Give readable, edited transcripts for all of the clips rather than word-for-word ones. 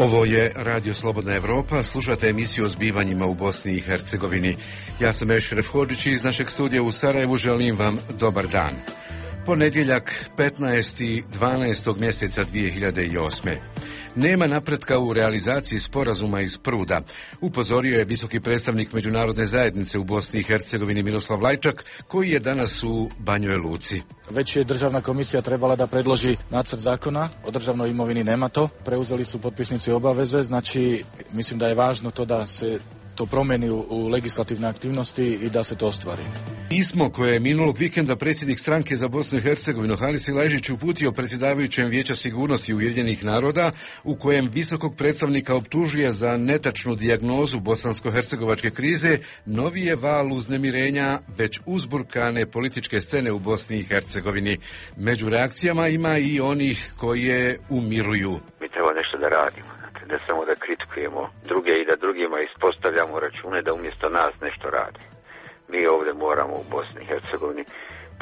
Ovo je Radio Slobodna Evropa, slušate emisiju o zbivanjima u Bosni i Hercegovini. Ja sam Ešref Hodžić i iz našeg studija u Sarajevu želim vam dobar dan. Ponedjeljak, 15.12. mjeseca 2008. Nema napretka u realizaciji sporazuma iz Pruda, upozorio je visoki predstavnik međunarodne zajednice u Bosni i Hercegovini Miroslav Lajčak, koji je danas u Banjoj Luci. Već je državna komisija trebala da predloži nacrt zakona o državnoj imovini, nema to. Preuzeli su potpisnici obaveze, znači mislim da je važno to da se to promeni u legislativne aktivnosti i da se to ostvari. Pismo koje je minulog vikenda predsjednik stranke za Bosnu i Hercegovinu Halis Silajdžić uputio predsjedavajućem Vijeća sigurnosti Ujedinjenih naroda, u kojem visokog predstavnika optužuje za netačnu dijagnozu bosansko-hercegovačke krize, novi je val uznemirenja već uzburkane političke scene u Bosni i Hercegovini. Među reakcijama ima i onih koje umiruju. Mi treba nešto da radimo. Ne samo da kritikujemo druge i da drugima ispostavljamo račune da umjesto nas nešto rade. Mi ovdje moramo u Bosni i Hercegovini,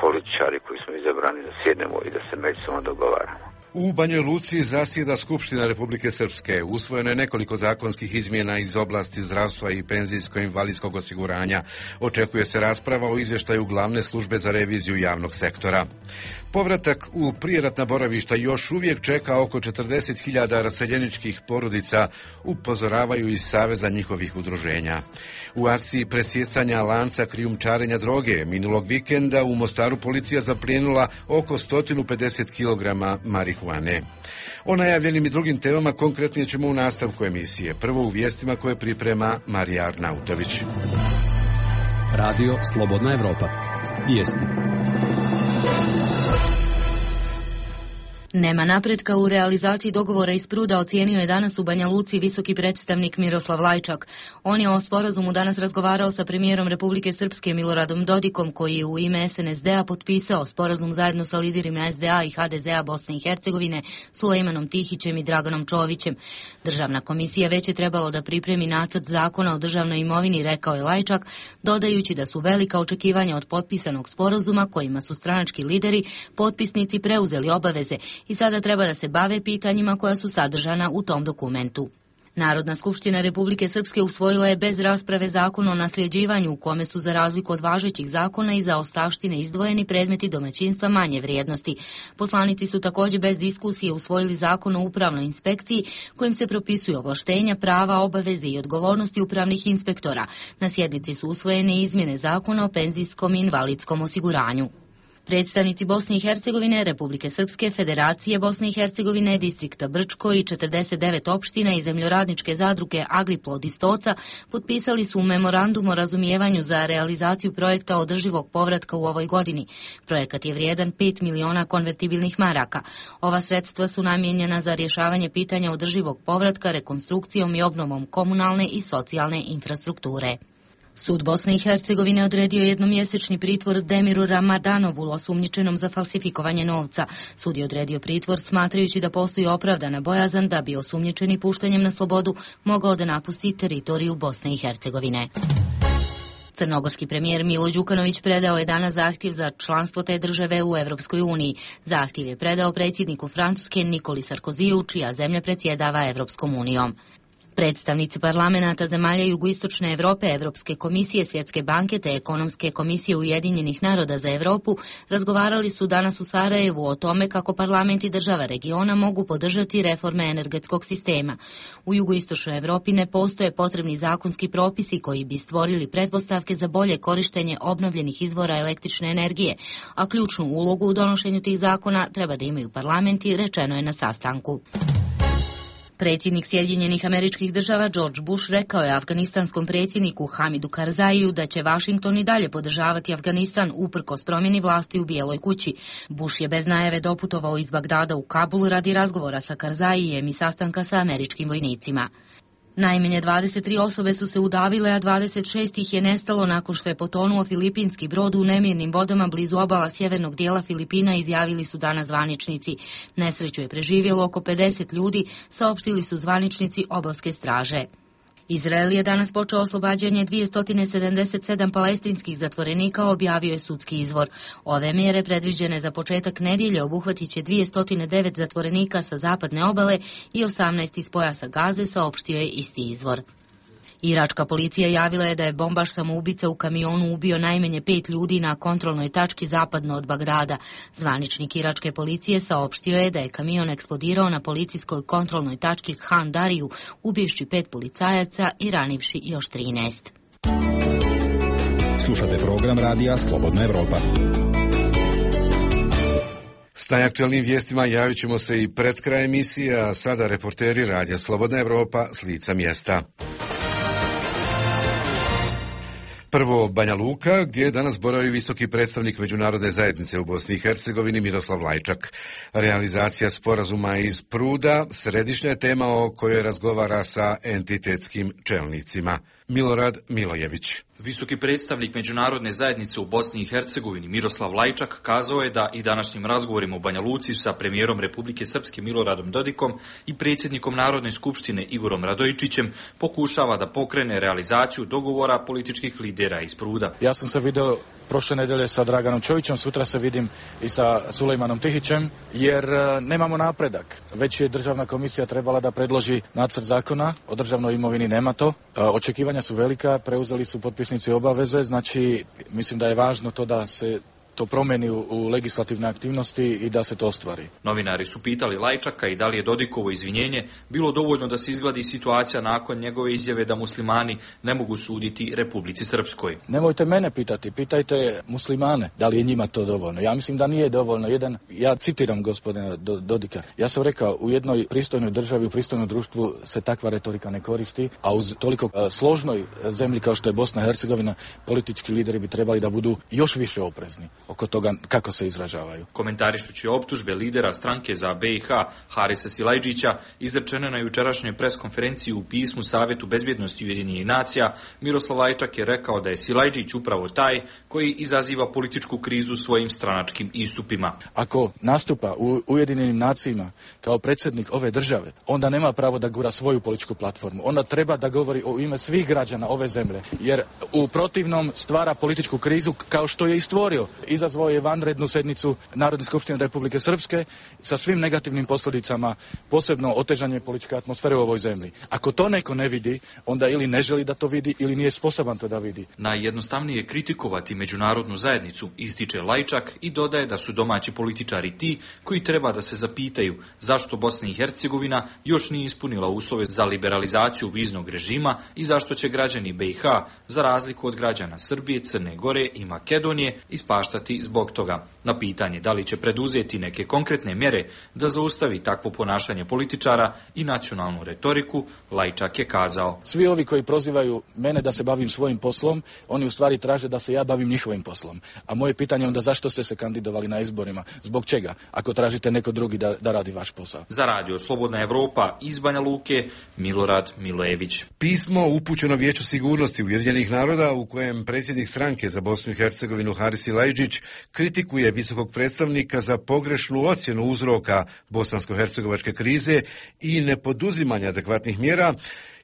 političari koji smo izabrani, da sjednemo i da se međusobno dogovaramo. U Banjoj Luci zasjeda Skupština Republike Srpske. Usvojeno je nekoliko zakonskih izmjena iz oblasti zdravstva i penzijsko-invalidskog osiguranja. Očekuje se rasprava o izvještaju glavne službe za reviziju javnog sektora. Povratak u prijeratna boravišta još uvijek čeka oko 40.000 raseljeničkih porodica, upozoravaju iz Saveza njihovih udruženja. U akciji presjecanja lanca krijumčarenja droge minulog vikenda u Mostaru policija zaplijenila oko 150 kg marihuane. O najavljenim i drugim temama konkretnije ćemo u nastavku emisije. Prvo u vijestima koje priprema Marija Arnautović. Radio Slobodna Evropa. Vijesti. Nema napretka u realizaciji dogovora iz Pruda, ocijenio je danas u Banja Luci visoki predstavnik Miroslav Lajčak. On je o sporazumu danas razgovarao sa premijerom Republike Srpske Miloradom Dodikom, koji je u ime SNSD-a potpisao sporazum zajedno sa liderima SDA i HDZ-a Bosne i Hercegovine, Sulejmanom Tihićem i Draganom Čovićem. Državna komisija već je trebalo da pripremi nacrt zakona o državnoj imovini, rekao je Lajčak, dodajući da su velika očekivanja od potpisanog sporazuma kojima su stranački lideri, potpisnici preuzeli obaveze i sada treba da se bave pitanjima koja su sadržana u tom dokumentu. Narodna skupština Republike Srpske usvojila je bez rasprave zakon o nasljeđivanju, u kome su za razliku od važećih zakona i za ostavštine izdvojeni predmeti domaćinstva manje vrijednosti. Poslanici su također bez diskusije usvojili zakon o upravnoj inspekciji, kojim se propisuju ovlaštenja, prava, obaveze i odgovornosti upravnih inspektora. Na sjednici su usvojene izmjene zakona o penzijskom i invalidskom osiguranju. Predstavnici Bosne i Hercegovine, Republike Srpske, Federacije Bosne i Hercegovine, distrikta Brčko i 49 opština i zemljoradničke zadruge Agriplod i Stoca potpisali su memorandum o razumijevanju za realizaciju projekta održivog povratka u ovoj godini. Projekat je vrijedan 5 miliona konvertibilnih maraka. Ova sredstva su namijenjena za rješavanje pitanja održivog povratka, rekonstrukcijom i obnovom komunalne i socijalne infrastrukture. Sud Bosne i Hercegovine odredio jednomjesečni pritvor Demiru Ramadanovu, osumnjičenom za falsifikovanje novca. Sud je odredio pritvor smatrajući da postoji opravdana bojazan da bi osumnjičeni puštanjem na slobodu mogao da napusti teritoriju Bosne i Hercegovine. Crnogorski premijer Milo Đukanović predao je danas zahtjev za članstvo te države u Evropskoj uniji. Zahtjev je predao predsjedniku Francuske Nikoli Sarkoziju, čija zemlja predsjedava Evropskom unijom. Predstavnici parlamenata zemalja Jugoistočne Evrope, Evropske komisije, Svjetske banke te Ekonomske komisije Ujedinjenih naroda za Evropu razgovarali su danas u Sarajevu o tome kako parlamenti država regiona mogu podržati reforme energetskog sistema. U Jugoistočnoj Evropi ne postoje potrebni zakonski propisi koji bi stvorili pretpostavke za bolje korištenje obnovljenih izvora električne energije, a ključnu ulogu u donošenju tih zakona treba da imaju parlamenti, rečeno je na sastanku. Predsjednik Sjedinjenih Američkih Država George Bush rekao je afganistanskom predsjedniku Hamidu Karzaiju da će Washington i dalje podržavati Afganistan uprkos promjeni vlasti u Bijeloj kući. Bush je bez najave doputovao iz Bagdada u Kabul radi razgovora sa Karzaijem i sastanka sa američkim vojnicima. Najmanje 23 osobe su se udavile, a 26 ih je nestalo nakon što je potonuo filipinski brod u nemirnim vodama blizu obala sjevernog dijela Filipina, izjavili su danas zvaničnici. Nesreću je preživjelo oko 50 ljudi, saopštili su zvaničnici obalske straže. Izrael je danas počeo oslobađanje 277 palestinskih zatvorenika, objavio je sudski izvor. Ove mjere predviđene za početak nedjelje obuhvatit će 209 zatvorenika sa zapadne obale i 18 iz pojasa Gaze, saopštio je isti izvor. Iračka policija javila je da je bombaš samoubica u kamionu ubio najmanje 5 ljudi na kontrolnoj tački zapadno od Bagdada. Zvaničnik iračke policije saopštio je da je kamion eksplodirao na policijskoj kontrolnoj tački Han Dariju, ubivši 5 policajaca i ranivši još 13. Slušate program radija Slobodna Evropa. S najaktualnim vijestima javit ćemo se i pred kraj emisije, a sada reporteri radija Slobodna Evropa s lica mjesta. Prvo Banja Luka, gdje danas boravi visoki predstavnik međunarodne zajednice u Bosni i Hercegovini Miroslav Lajčak. Realizacija sporazuma iz Pruda središnja je tema o kojoj razgovara sa entitetskim čelnicima. Milorad Milojević. Visoki predstavnik međunarodne zajednice u Bosni i Hercegovini Miroslav Lajčak kazao je da i današnjim razgovorima u Banja Luci sa premijerom Republike Srpske Miloradom Dodikom i predsjednikom Narodne skupštine Igorom Radojičićem pokušava da pokrene realizaciju dogovora političkih lidera iz Pruda. Ja sam se video prošle nedelje sa Draganom Čovićem, sutra se vidim i sa Sulejmanom Tihićem, jer nemamo napredak. Već je državna komisija trebala da predloži nacrt zakona o državnoj imovini, nema to. Očekivanja su velika, preuzeli su potpisnici obaveze, znači mislim da je važno to da se to promeni u legislativne aktivnosti i da se to ostvari. Novinari su pitali Lajčaka i da li je Dodikovo izvinjenje bilo dovoljno da se izgladi situacija nakon njegove izjave da muslimani ne mogu suditi Republici Srpskoj. Nemojte mene pitati, pitajte muslimane da li je njima to dovoljno. Ja mislim da nije dovoljno. Ja citiram gospodina Dodika. Ja sam rekao, u jednoj pristojnoj državi, u pristojnom društvu se takva retorika ne koristi, a uz toliko složnoj zemlji kao što je Bosna i Hercegovina, politički lideri bi trebali da budu još više oprezni oko toga kako se izražavaju. Komentarišući optužbe lidera stranke za BiH Harisa Silajdžića izrečene na jučerašnjoj preskonferenciji u pismu Savjetu bezbjednosti Ujedinjenih nacija, Miroslav Lajčak je rekao da je Silajdžić upravo taj koji izaziva političku krizu svojim stranačkim istupima. Ako nastupa u Ujedinjenim nacijama kao predsjednik ove države, onda nema pravo da gura svoju političku platformu. Onda treba da govori o ime svih građana ove zemlje, jer u protivnom stvara političku krizu kao što je i stvorio. Izazvao je vanrednu sednicu Narodne skupštine Republike Srpske sa svim negativnim posljedicama, posebno otežanje političke atmosfere u ovoj zemlji. Ako to neko ne vidi, onda ili ne želi da to vidi ili nije sposoban to da vidi. Najjednostavnije je kritikovati međunarodnu zajednicu, ističe Lajčak i dodaje da su domaći političari ti koji treba da se zapitaju zašto Bosna i Hercegovina još nije ispunila uslove za liberalizaciju viznog režima i zašto će građani BiH, za razliku od građana Srbije, Crne Gore i Makedonije, ispaštati zbog toga. Na pitanje da li će preduzeti neke konkretne mjere da zaustavi takvo ponašanje političara i nacionalnu retoriku, Lajčak je kazao: svi ovi koji prozivaju mene da se bavim svojim poslom, oni u stvari traže da se ja bavim njihovim poslom. A moje pitanje je onda zašto ste se kandidovali na izborima? Zbog čega? Ako tražite neko drugi da radi vaš posao. Za radio Slobodna Evropa iz Banja Luke, Milorad Milojević. Pismo upućeno Vijeću sigurnosti Ujedinjenih naroda u kojem predsjednik stranke za Bosnu i Hercegovinu Haris Silajdžić kritikuje visokog predstavnika za pogrešnu ocjenu uzroka bosansko-hercegovačke krize i nepoduzimanja adekvatnih mjera,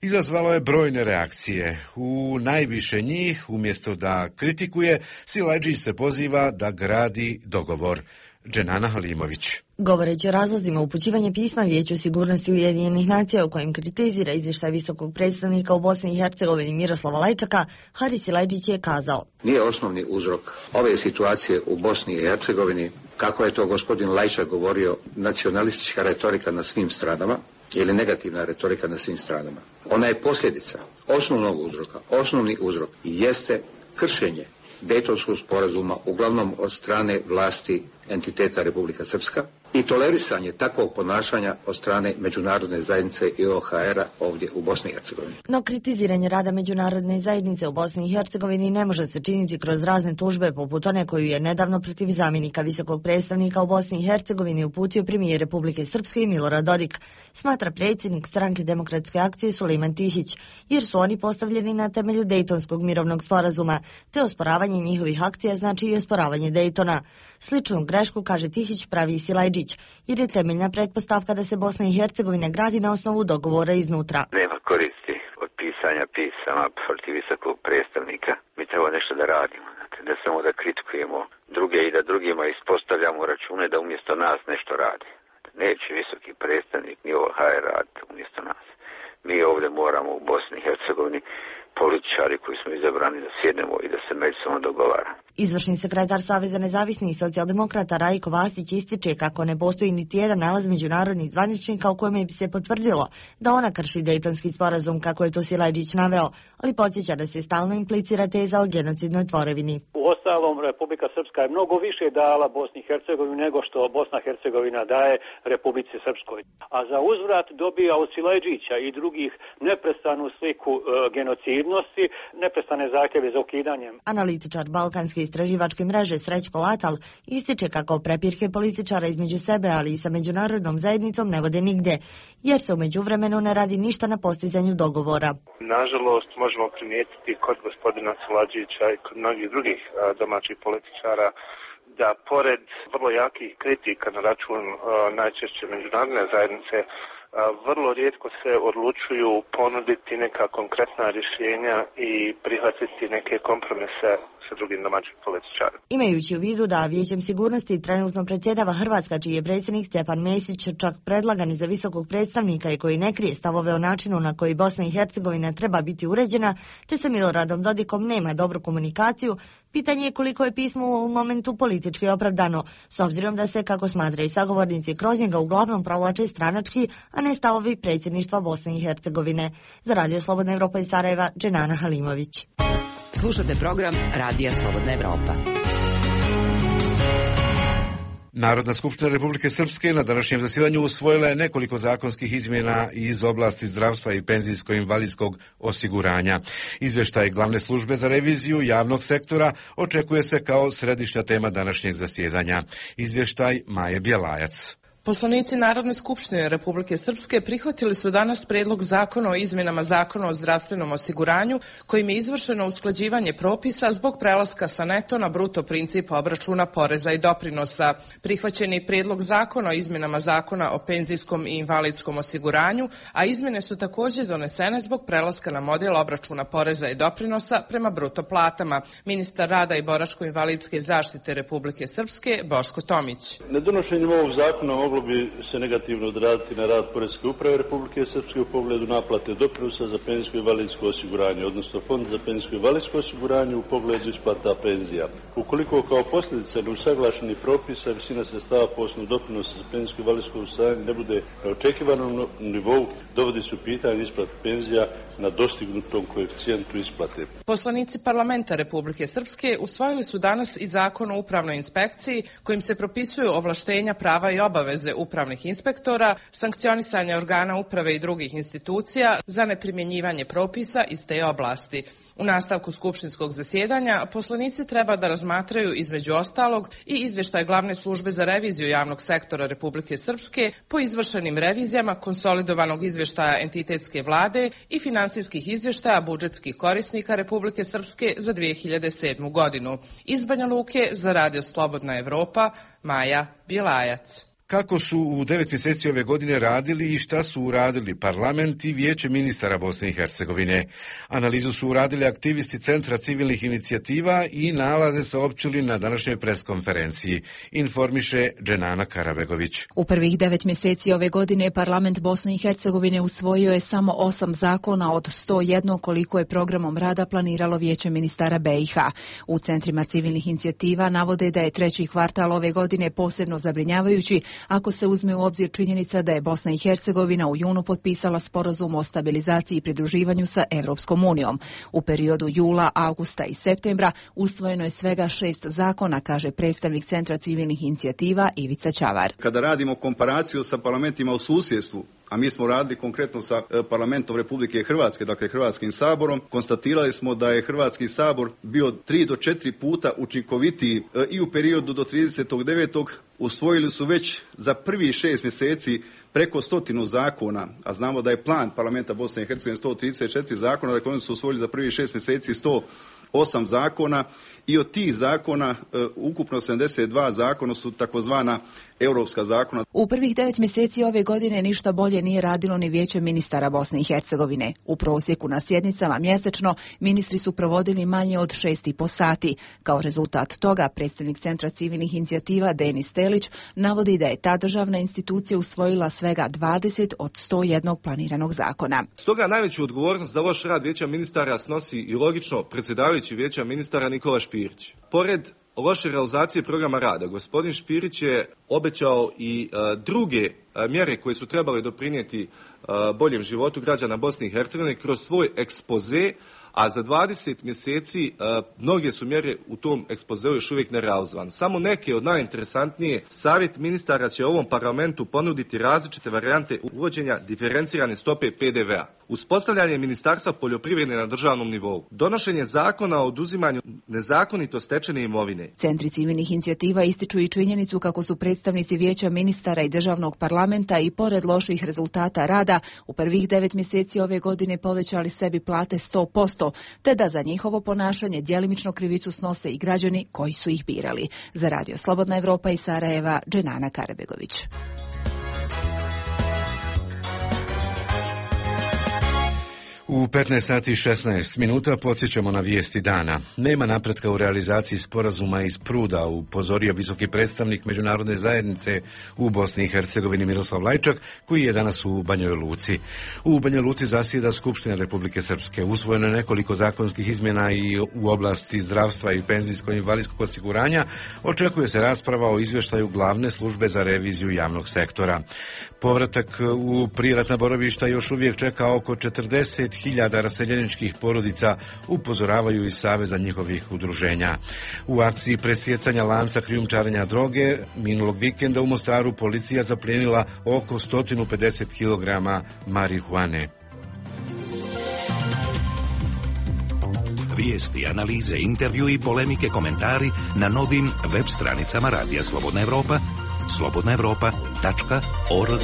izazvalo je brojne reakcije. U najviše njih, umjesto da kritikuje, Silajdžić se poziva da gradi dogovor. Dženana Halimović. Govoreći o razlozima upućivanja pisma Vijeću sigurnosti Ujedinjenih nacija u kojem kritizira izvještaj visokog predstavnika u Bosni i Hercegovini Miroslava Lajčaka, Haris Silajdžić je kazao: nije osnovni uzrok ove situacije u Bosni i Hercegovini, kako je to gospodin Lajčak govorio, nacionalistička retorika na svim stranama ili negativna retorika na svim stranama. Ona je posljedica osnovnog uzroka. Osnovni uzrok jeste kršenje Dejtonskog sporazuma, uglavnom od strane vlasti entiteta Republika Srpska, i tolerisanje takvog ponašanja od strane međunarodne zajednice i OHR-a ovdje u Bosni i Hercegovini. No kritiziranje rada međunarodne zajednice u Bosni i Hercegovini ne može se činiti kroz razne tužbe poput one koju je nedavno protiv zamjenika visokog predstavnika u Bosni i Hercegovini uputio premijer Republike Srpske i Milorad Dodik, smatra predsjednik stranke Demokratske akcije Sulejman Tihić, jer su oni postavljeni na temelju Dejtonskog mirovnog sporazuma, te osporavanje njihovih akcija znači i osporavanje Dejtona. Sličnu grešku, kaže Tihić, pravi i Silajdžić, jer je temeljna pretpostavka da se Bosna i Hercegovina gradi na osnovu dogovora iznutra. Nema koristi od pisanja pisanja pisama protiv visokog predstavnika. Mi treba nešto da radimo, ne samo da kritikujemo druge i da drugima ispostavljamo račune da umjesto nas nešto radi. Neće visoki predstavnik ni OHR raditi umjesto nas. Mi ovdje moramo u Bosni i Hercegovini političari koji smo izabrani da sjednemo i da se međusobno dogovaramo. Izvršni sekretar Saveza nezavisnih socijaldemokrata Rajko Vasić ističe kako ne postoji niti jedan nalaz međunarodnih zvaničnika u kojem bi se potvrdilo da ona krši Dejtonski sporazum, kako je to Silajdžić naveo, ali podsjeća da se stalno implicira teza o genocidnoj tvorevini. Uostalom, Republika Srpska je mnogo više dala Bosni i Hercegovini nego što Bosna i Hercegovina daje Republici Srpskoj. A za uzvrat dobija od Silajdžića i drugih neprestanu sliku genocidnosti, neprestane zahtjeve za ukidanjem. Analitičar Balkanske istraživačke mreže Srećko Latal ističe kako prepirke političara između sebe, ali i sa međunarodnom zajednicom ne vode nigde, jer se u međuvremenu ne radi ništa na postizanju dogovora. Nažalost, možemo primijetiti kod gospodina Silajdžića i kod mnogih drugih domaćih političara da pored vrlo jakih kritika na račun najčešće međunarodne zajednice, vrlo rijetko se odlučuju ponuditi neka konkretna rješenja i prihvatiti neke kompromise sa drugim domaćim političarima. Imajući u vidu da Vijećem sigurnosti trenutno predsjedava Hrvatska, čiji je predsjednik Stjepan Mesić čak predlagan i za visokog predstavnika i koji ne krije stavove o načinu na koji Bosna i Hercegovina treba biti uređena, te sa Miloradom Dodikom nema dobru komunikaciju, pitanje je koliko je pismo u momentu politički opravdano, s obzirom da se, kako smatraju sagovornici, kroz njega uglavnom provlače stranački, a ne stavovi predsjedništva Bosne i Hercegovine. Za Radio Slobodna Evropa iz Sarajeva, Dženana Halimović. Slušate program Radija Slobodna Evropa. Narodna skupština Republike Srpske na današnjem zasjedanju usvojila je nekoliko zakonskih izmjena iz oblasti zdravstva i penzijsko-invalidskog osiguranja. Izvještaj Glavne službe za reviziju javnog sektora očekuje se kao središnja tema današnjeg zasjedanja. Izvještaj Maje Bjelajac. Poslanici Narodne skupštine Republike Srpske prihvatili su danas predlog zakona o izmjenama Zakona o zdravstvenom osiguranju, kojim je izvršeno usklađivanje propisa zbog prelaska sa neto na bruto princip obračuna poreza i doprinosa. Prihvaćen je predlog zakona o izmjenama Zakona o penzijskom i invalidskom osiguranju, a izmjene su također donesene zbog prelaska na model obračuna poreza i doprinosa prema bruto platama. Ministar rada i boračko-invalidske zaštite Republike Srpske Boško Tomić. Nedonošenjem ovog zakona moglo bi se negativno odraditi na rad Poreske uprave Republike Srpske u pogledu naplate doprinosa za penzijsko i invalidsko osiguranje, odnosno Fond za penzijsko i invalidsko osiguranje u pogledu isplata penzija. Ukoliko kao posljedica neusaglašenih propisa visina sredstava po osnovu doprinosa za penzijsko i invalidsko osiguranje ne bude na očekivanom nivou, dovodi se u pitanje isplata penzija na dostignutom koeficijentu isplate. Poslanici parlamenta Republike Srpske usvojili su danas i zakon o upravnoj inspekciji, kojim se propisuju ovlaštenja, prava i obaveze upravnih inspektora, sankcionisanje organa uprave i drugih institucija za neprimjenjivanje propisa iz te oblasti. U nastavku skupštinskog zasjedanja poslanici treba da razmatraju između ostalog i izvještaj Glavne službe za reviziju javnog sektora Republike Srpske po izvršenim revizijama konsolidovanog izvještaja entitetske vlade i finansijskih izvještaja budžetskih korisnika Republike Srpske za 2007. godinu. Iz Banja Luke za Radio Slobodna Evropa, Maja Bjelajac. Kako su u 9 mjeseci ove godine radili i šta su uradili parlament i Vijeće ministara Bosne i Hercegovine. Analizu su uradili aktivisti Centra civilnih inicijativa i nalaze saopćili na današnjoj preskonferenciji, informiše Dženana Karabegović. U prvih 9 mjeseci ove godine parlament Bosne i Hercegovine usvojio je samo 8 zakona od 101 koliko je programom rada planiralo Vijeće ministara BiH. U Centrima civilnih inicijativa navode da je treći kvartal ove godine posebno zabrinjavajući ako se uzme u obzir činjenica da je Bosna i Hercegovina u junu potpisala sporazum o stabilizaciji i pridruživanju sa Evropskom unijom. U periodu jula, augusta i septembra usvojeno je svega 6 zakona, kaže predstavnik Centra civilnih inicijativa Ivica Ćavar. Kada radimo komparaciju sa parlamentima u susjedstvu, a mi smo radili konkretno sa parlamentom Republike Hrvatske, dakle Hrvatskim saborom, konstatirali smo da je Hrvatski sabor bio 3 do 4 puta učinkovitiji i u periodu do 30.9. usvojili su već za prvih 6 mjeseci preko 100 zakona, a znamo da je plan parlamenta Bosne i Hercegovine 134 zakona, dakle oni su usvojili za prvih 6 mjeseci 8 zakona i od tih zakona ukupno 72 zakona su takozvana europska zakona. U prvih 9 mjeseci ove godine ništa bolje nije radilo ni Vijeće ministara Bosne i Hercegovine. U prosjeku na sjednicama mjesečno ministri su provodili manje od 6,5 sati. Kao rezultat toga, predstavnik Centra civilnih inicijativa Denis Telić navodi da je ta državna institucija usvojila svega 20 od 101 planiranog zakona. Stoga najveću odgovornost za loš rad Vijeća ministara snosi i logično predsjedavajući Vijeća ministara Nikola Špirić. Pored loše realizacije programa rada, gospodin Špirić je obećao i druge mjere koje su trebale doprinijeti boljem životu građana Bosne i Hercegovine kroz svoj ekspoze, a za 20 mjeseci mnoge su mjere u tom ekspozeu još uvijek nerealizovane. Samo neke od najinteresantnije, savjet ministara će ovom parlamentu ponuditi različite varijante uvođenja diferencirane stope PDV-a, uspostavljanje ministarstva poljoprivrede na državnom nivou, donošenje zakona o oduzimanju nezakonito stečene imovine. Centri civilnih inicijativa ističu i činjenicu kako su predstavnici Vijeća ministara i državnog parlamenta i pored loših rezultata rada u prvih 9 mjeseci ove godine povećali sebi plate 100%, te da za njihovo ponašanje djelimično krivicu snose i građani koji su ih birali. Za Radio Slobodna Evropa iz Sarajeva, Dženana Karabegović. U 15 sati i 16 minuta podsjećamo na vijesti dana. Nema napretka u realizaciji sporazuma iz Pruda, upozorio visoki predstavnik međunarodne zajednice u Bosni i Hercegovini Miroslav Lajčak, koji je danas u Banjoj Luci. U Banjoj Luci zasjeda Skupština Republike Srpske. Usvojeno je nekoliko zakonskih izmjena i u oblasti zdravstva i penzijsko-invalidskog osiguranja. Očekuje se rasprava o izvještaju glavne službe za reviziju javnog sektora. Povratak u prijeratna boravišta još uvijek čeka oko 40.000 raseljeničkih porodica, upozoravaju iz Saveza njihovih udruženja. U akciji presjecanja lanca krijumčarenja droge minulog vikenda u Mostaru policija zaplijenila oko 150 kg marihuane. Vijesti, analize, intervju i polemike, komentari na novim web stranicama Radija Slobodna Evropa, slobodnaevropa.org.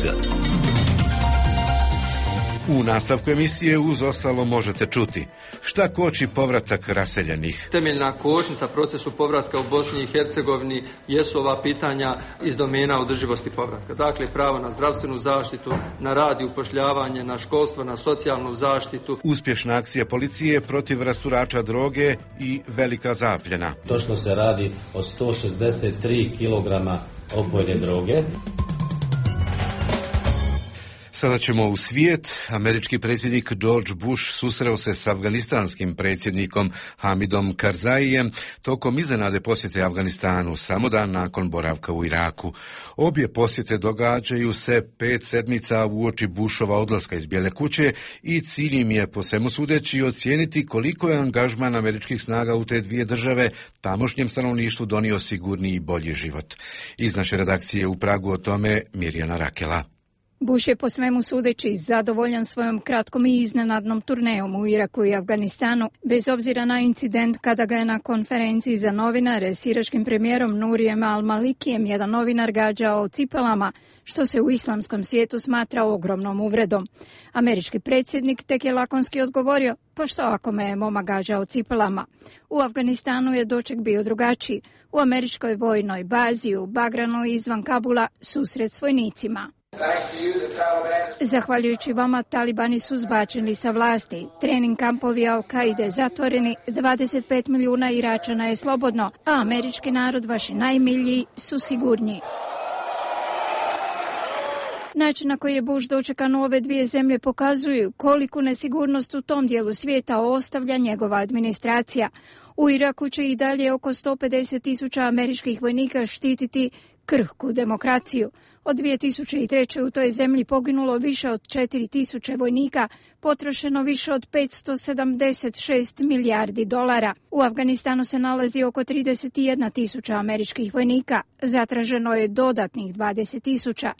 U nastavku emisije uz ostalo možete čuti šta koči povratak raseljenih. Temeljna kočnica procesu povratka u Bosni i Hercegovini jesu ova pitanja iz domena održivosti povratka. Dakle, pravo na zdravstvenu zaštitu, na rad i upošljavanje, na školstvo, na socijalnu zaštitu. Uspješna akcija policije protiv rasturača droge i velika zapljena. Točno se radi o 163 kg opojne droge. Sada ćemo u svijet. Američki predsjednik George Bush susreo se s afganistanskim predsjednikom Hamidom Karzaijem tokom iznenade posjete Afganistanu, samo dan nakon boravka u Iraku. Obje posjete događaju se 5 sedmica uoči Bushova odlaska iz Bijele kuće i cilj im je, po svemu sudeći, ocijeniti koliko je angažman američkih snaga u te dvije države tamošnjem stanovništvu donio sigurniji i bolji život. Iz naše redakcije u Pragu o tome Mirjana Rakela. Bush je po svemu sudeći zadovoljan svojom kratkom i iznenadnom turnejom u Iraku i Afganistanu, bez obzira na incident kada ga je na konferenciji za novinare s iračkim premijerom Nurijem al-Malikijem jedan novinar gađao cipelama, što se u islamskom svijetu smatra ogromnom uvredom. Američki predsjednik tek je lakonski odgovorio, pa što ako me je momak gađao cipelama? U Afganistanu je doček bio drugačiji. U američkoj vojnoj bazi u Bagranu izvan Kabula susret s vojnicima. Zahvaljujući vama, talibani su zbačeni sa vlasti, trening kampovi Al-Kaide zatvoreni, 25 milijuna Iračana je slobodno, a američki narod, vaši najmiljiji, su sigurniji. Način na koji je Bush dočekan u ove dvije zemlje pokazuju koliku nesigurnost u tom dijelu svijeta ostavlja njegova administracija. U Iraku će i dalje oko 150.000 američkih vojnika štititi krhku demokraciju. Od 2003. u toj zemlji poginulo više od 4.000 vojnika, potrošeno više od 576 milijardi dolara. U Afganistanu se nalazi oko 31.000 američkih vojnika, zatraženo je dodatnih 20.000.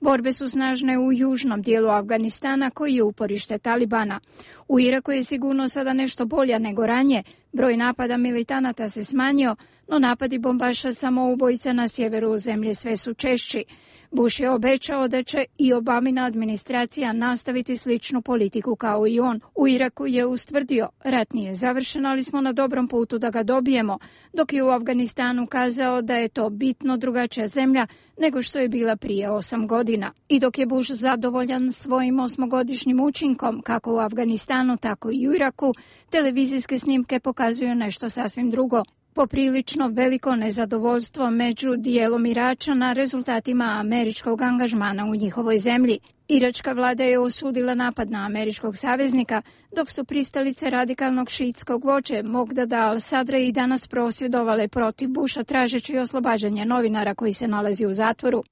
Borbe su snažne u južnom dijelu Afganistana koji je uporište Talibana. U Iraku je sigurno sada nešto bolja nego ranije. Broj napada militanata se smanjio, no napadi bombaša samoubojica na sjeveru zemlje sve su češći. Bush je obećao da će i Obamina administracija nastaviti sličnu politiku kao i on. U Iraku je ustvrdio, rat nije završen, ali smo na dobrom putu da ga dobijemo, dok je u Afganistanu kazao da je to bitno drugačija zemlja nego što je bila prije 8 godina. I dok je Bush zadovoljan svojim 8-godišnjim učinkom, kako u Afganistanu, tako i u Iraku, televizijske snimke pokazuju nešto sasvim drugo. Poprilično veliko nezadovoljstvo među dijelom Iračana rezultatima američkog angažmana u njihovoj zemlji. Iračka vlada je osudila napad na američkog saveznika, dok su pristalice radikalnog šiitskog vođe Mogdada al-Sadra i danas prosvjedovale protiv Busha tražeći oslobađanje novinara koji se nalazi u zatvoru.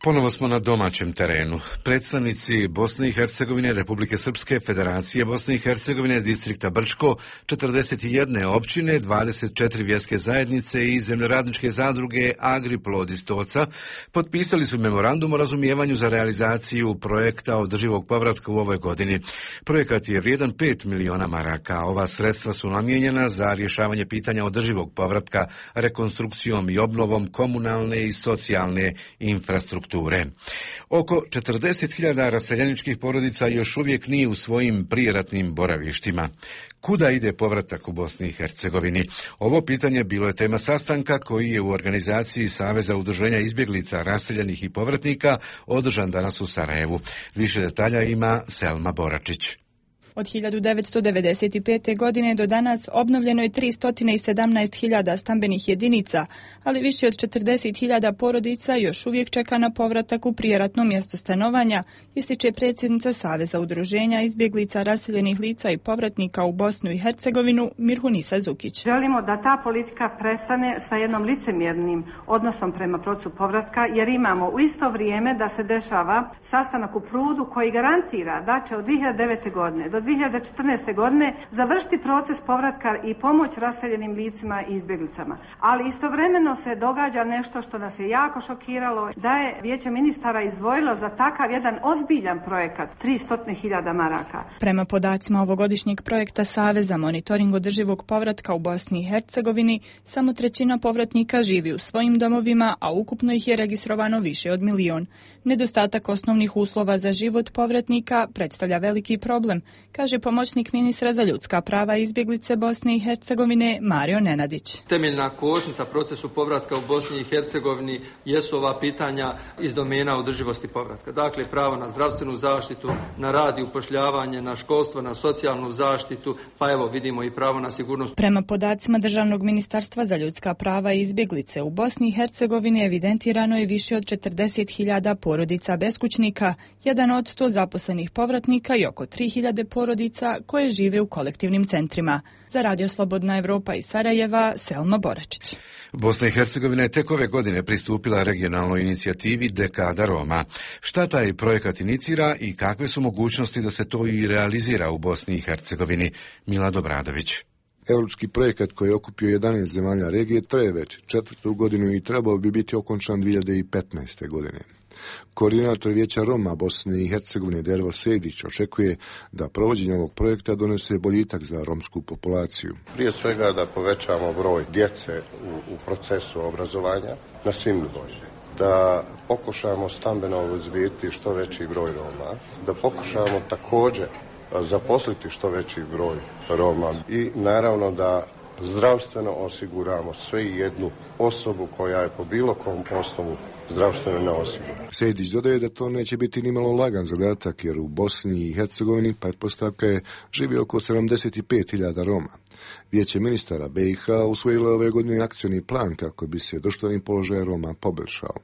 Ponovo smo na domaćem terenu. Predstavnici Bosne i Hercegovine, Republike Srpske, Federacije Bosne i Hercegovine, distrikta Brčko, 41 općine, 24 vjerske zajednice i zemljoradničke zadruge Agriplod iz Stoca potpisali su memorandum o razumijevanju za realizaciju projekta održivog povratka u ovoj godini. Projekat je vrijedan 5 miliona maraka. Ova sredstva su namijenjena za rješavanje pitanja održivog povratka rekonstrukcijom i obnovom komunalne i socijalne infrastrukture. Oko 40.000 raseljeničkih porodica još uvijek nije u svojim prijeratnim boravištima. Kuda ide povratak u Bosni i Hercegovini? Ovo pitanje bilo je tema sastanka koji je u organizaciji Saveza udruženja izbjeglica, raseljenih i povratnika održan danas u Sarajevu. Više detalja ima Selma Boračić. Od 1995. godine do danas obnovljeno je 317.000 stambenih jedinica, ali više od 40.000 porodica još uvijek čeka na povratak u prijeratno mjesto stanovanja, ističe predsjednica Saveza udruženja izbjeglica, raseljenih lica i povratnika u Bosnu i Hercegovinu Mirhunisa Zukić. Želimo da ta politika prestane sa jednom licemjernim odnosom prema procesu povratka, jer imamo u isto vrijeme da se dešava sastanak u Prudu koji garantira da će od 2009. godine do 2014. godine završiti proces povratka i pomoć raseljenim licima i izbjeglicama. Ali istovremeno se događa nešto što nas je jako šokiralo, da je Vijeće ministara izdvojilo za takav jedan ozbiljan projekat 300.000 maraka. Prema podacima ovogodišnjeg projekta Saveza monitoring održivog povratka u Bosni i Hercegovini, samo 1/3 povratnika živi u svojim domovima, a ukupno ih je registrovano više od 1 milion. Nedostatak osnovnih uslova za život povratnika predstavlja veliki problem, kaže pomoćnik ministra za ljudska prava i izbjeglice Bosne i Hercegovine Mario Nenadić. Temeljna kočnica procesu povratka u Bosni i Hercegovini jesu ova pitanja iz domena održivosti povratka. Dakle, pravo na zdravstvenu zaštitu, na rad i upošljavanje, na školstvo, na socijalnu zaštitu, pa evo vidimo i pravo na sigurnost. Prema podacima Državnog ministarstva za ljudska prava i izbjeglice u Bosni i Hercegovini evidentirano je više od 40.000 porodica beskućnika, 1 od 100 zaposlenih povratnika i oko 3.000 porodica koje žive u kolektivnim centrima. Za Radio Slobodna Evropa iz Sarajeva, Selma Boračić. Bosna i Hercegovina je tek ove godine pristupila regionalnoj inicijativi Dekada Roma. Šta taj projekat inicira i kakve su mogućnosti da se to i realizira u Bosni i Hercegovini? Milad Obradović. Europski projekat koji je okupio 11 zemalja regije traje već 4. godinu i trebao bi biti okončan 2015. godine. Koordinator Vijeća Roma Bosne i Hercegovine Dervo Sejdić očekuje da provođenje ovog projekta donese boljitak za romsku populaciju. Prije svega da povećamo broj djece u procesu obrazovanja na svim nivoima. Da pokušamo stambeno obezbijediti što veći broj Roma, da pokušamo također zaposliti što veći broj Roma i naravno da zdravstveno osiguramo sve jednu osobu koja je po bilo kom osnovu zdravstveno neosigurana. Sejdić dodaje da to neće biti nimalo lagan zadatak, jer u Bosni i Hercegovini pretpostavka je živi oko 75.000 Roma. Vijeće ministara BiH usvojilo ove godine akcioni plan kako bi se društveni položaj Roma poboljšao.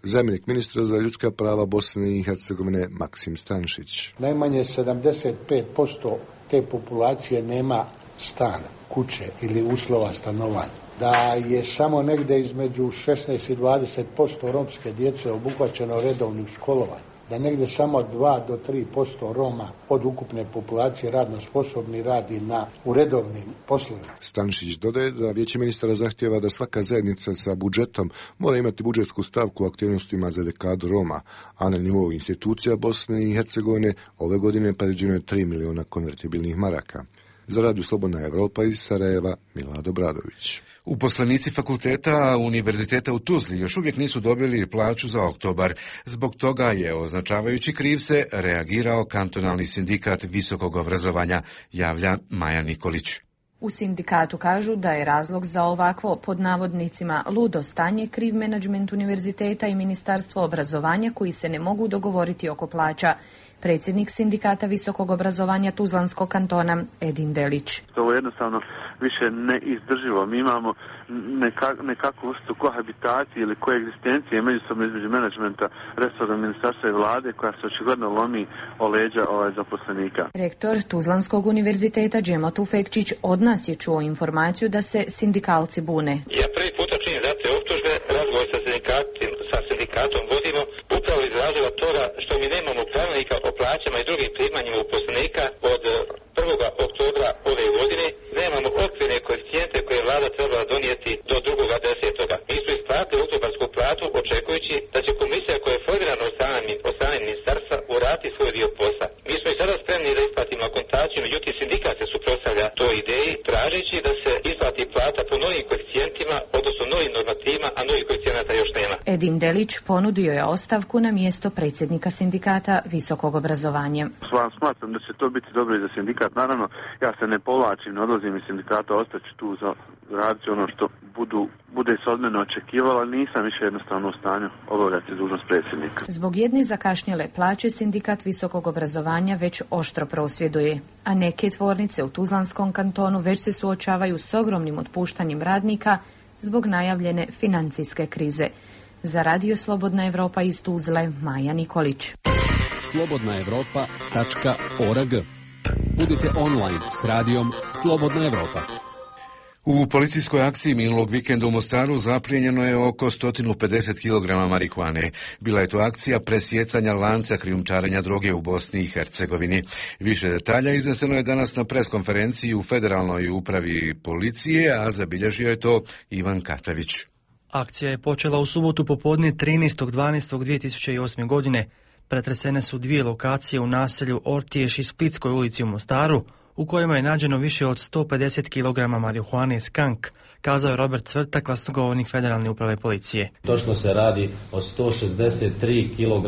Zamjenik ministra za ljudska prava Bosne i Hercegovine Maksim Stanšić. Najmanje 75% te populacije nema stana, kuće ili uslova stanovanja. Da je samo negdje između 16 i 20% romske djece obuhvaćeno redovnim školovanjem. Da negdje samo 2 do 3% Roma od ukupne populacije radno sposobni radi u redovnim poslovima. Stanšić dodaje da Vijeće ministara zahtjeva da svaka zajednica sa budžetom mora imati budžetsku stavku u aktivnostima za dekadu Roma, a na nivou institucija Bosne i Hercegovine ove godine predviđeno je 3 miliona konvertibilnih maraka. Za Radio Slobodna Evropa iz Sarajeva, Milado Bradović. Uposlenici fakulteta Univerziteta u Tuzli još uvijek nisu dobili plaću za oktobar. Zbog toga je, označavajući krivce, reagirao kantonalni sindikat visokog obrazovanja, javlja Maja Nikolić. U sindikatu kažu da je razlog za ovakvo, pod navodnicima, ludo stanje kriv menadžment univerziteta i Ministarstvo obrazovanja koji se ne mogu dogovoriti oko plaća. Predsjednik sindikata visokog obrazovanja Tuzlanskog kantona Edin Delić. Ovo je jednostavno više neizdrživo. Mi imamo nekakvu vrstu kohabitacije ili koegzistencije međusobno između menadžmenta, resornog ministarstva i vlade koja se očigledno lomi o leđa zaposlenika. Rektor Tuzlanskog univerziteta Džemo Tufekčić od nas je čuo informaciju da se sindikalci bune. Ja prvi puta činim za te optužbe, razgovor sa sindikatom vodimo upravo iz razloga toga što mi nemamo pravilnika o plaćama i drugim primanjima uposlenika od 1. oktobra ove godine. Nemamo okvirne koeficijente koje je vlada trebala donijeti do 2.10. Mi smo isplatili oktobarsku platu očekujući da će komisija koja je formirana od strane ministarstva uraditi svoj dio posla. Mi smo i sada spremni da isplatimo akontaciju, međutim sindikat se suprotstavlja toj ideji tražeći da se isplati plata po novim koeficijentima, odnosno novim normativima, a novih koeficijenata još nema. Edin Delić ponudio je ostavku na mjesto predsjednika sindikata visokog obrazovanja. Smatram da će to biti dobro i za sindikat. Naravno, ja se ne povlačim, ne odlazim iz sindikata, ostaću tu za raditi ono što bude se od mene očekivalo, ali nisam više jednostavno u stanju obavljati dužnost predsjednika. Zbog jedne zakašnjele plaće sindikat visokog obrazovanja već oštro prosvjeduje, a neke tvornice u Tuzlanskom kantonu već se suočavaju s ogromnim otpuštanjem radnika zbog najavljene financijske krize. Za Radio Slobodna Evropa iz Tuzle, Maja Nikolić. slobodnaevropa.org. Budite online s radijom Slobodna Evropa. U policijskoj akciji minulog vikenda u Mostaru zaplijenjeno je oko 150 kg marihuane. Bila je to akcija presjecanja lanca krijumčarenja droge u Bosni i Hercegovini. Više detalja izneseno je danas na preskonferenciji u Federalnoj upravi policije, a zabilježio je to Ivan Katavić. Akcija je počela u subotu popodne 13.12.2008. godine. Pretresene su dvije lokacije u naselju Ortiješ i Splitskoj ulici u Mostaru, u kojima je nađeno više od 150 kg marihuane skank, kazao je Robert Cvrta, glasnogovornik Federalne uprave policije. Točno se radi o 163 kg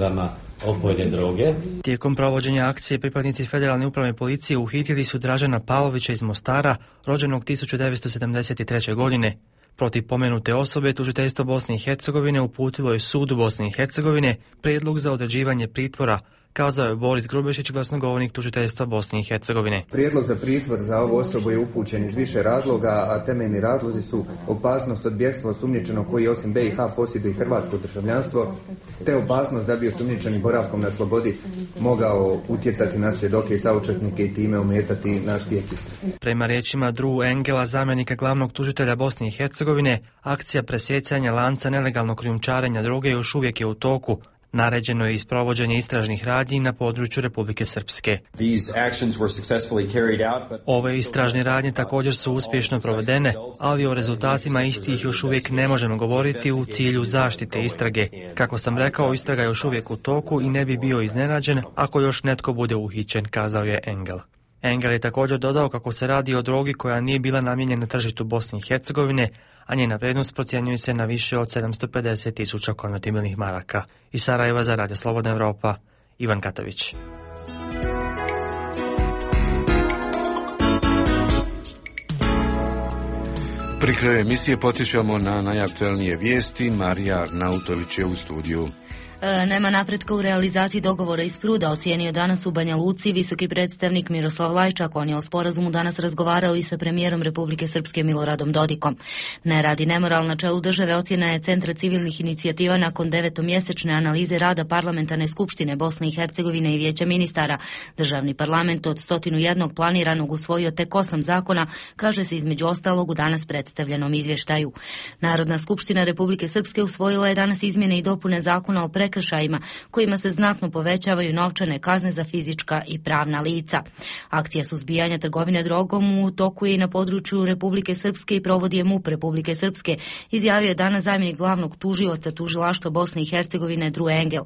opojne droge. Tijekom provođenja akcije pripadnici Federalne uprave policije uhitili su Dražena Pavlovića iz Mostara, rođenog 1973. godine. Protiv pomenute osobe tužiteljstvo Bosne i Hercegovine uputilo je sudu Bosne i Hercegovine prijedlog za određivanje pritvora, kazao je Boris Grubešić, glasnogovornik tužiteljstva Bosne i Hercegovine. Prijedlog za pritvor za ovu osobu je upućen iz više razloga, a temeljni razlozi su opasnost od bjegstva osumnjičenog koji osim BiH posjeduje hrvatsko državljanstvo, te opasnost da bi osumnjičeni boravkom na slobodi mogao utjecati na svjedoke i saučesnike i time ometati naš tijek istrage. Prema riječima Drew Engela, zamjenika glavnog tužitelja Bosne i Hercegovine, akcija presjecanja lanca nelegalnog krijumčarenja droge još uvijek je u toku. Naređeno je isprovođenje istražnih radnji na području Republike Srpske. Ove istražne radnje također su uspješno provedene, ali o rezultatima istih još uvijek ne možemo govoriti u cilju zaštite istrage. Kako sam rekao, istraga je još uvijek u toku i ne bi bio iznenađen ako još netko bude uhićen, kazao je Engel. Engel je također dodao kako se radi o drogi koja nije bila namijenjena tržištu Bosne i Hercegovine, a njena vrijednost procjenjuje se na više od 750.000 konvertibilnih maraka. Iz Sarajeva za Radio Slobodna Evropa, Ivan Katavić. Pri kraju emisije podsjećamo na najaktuelnije vijesti. Marija Arnautović je u studiju. Nema napretka u realizaciji dogovora iz Pruda, ocijenio danas u Banja Luci visoki predstavnik Miroslav Lajčak. On je o sporazumu danas razgovarao i sa premijerom Republike Srpske Miloradom Dodikom. Ne radi nemoral na čelu države, ocjena je Centra civilnih inicijativa nakon 9-mjesečne analize rada Parlamentarne skupštine Bosne i Hercegovine i Vijeća ministara. Državni parlament od 101 planiranog usvojio tek 8 zakona, kaže se između ostalog u danas predstavljenom izvještaju. Narodna skupština Republike Srpske usvojila je danas izmjene i dopune zakona o prekršajima kojima se znatno povećavaju novčane kazne za fizička i pravna lica. Akcija suzbijanja trgovine drogom u toku je i na području Republike Srpske i provodi je MUP Republike Srpske, izjavio je danas zamjenik glavnog tužioca tužilaštva Bosne i Hercegovine Drew Engel.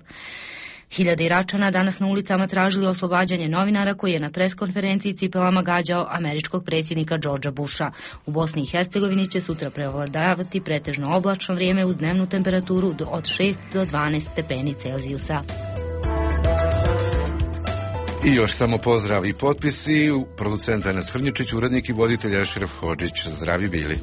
Hiljade Iračana danas na ulicama tražili oslobađanje novinara koji je na preskonferenciji cipelama gađao američkog predsjednika Georgea Busha. U Bosni i Hercegovini će sutra prevladavati pretežno oblačno vrijeme uz dnevnu temperaturu od 6 do 12 stepeni Celzijusa. I još samo pozdrav i potpisi. Producent Enes Hrnjičić, urednik i voditelj Ešref Hodžić. Zdravi bili.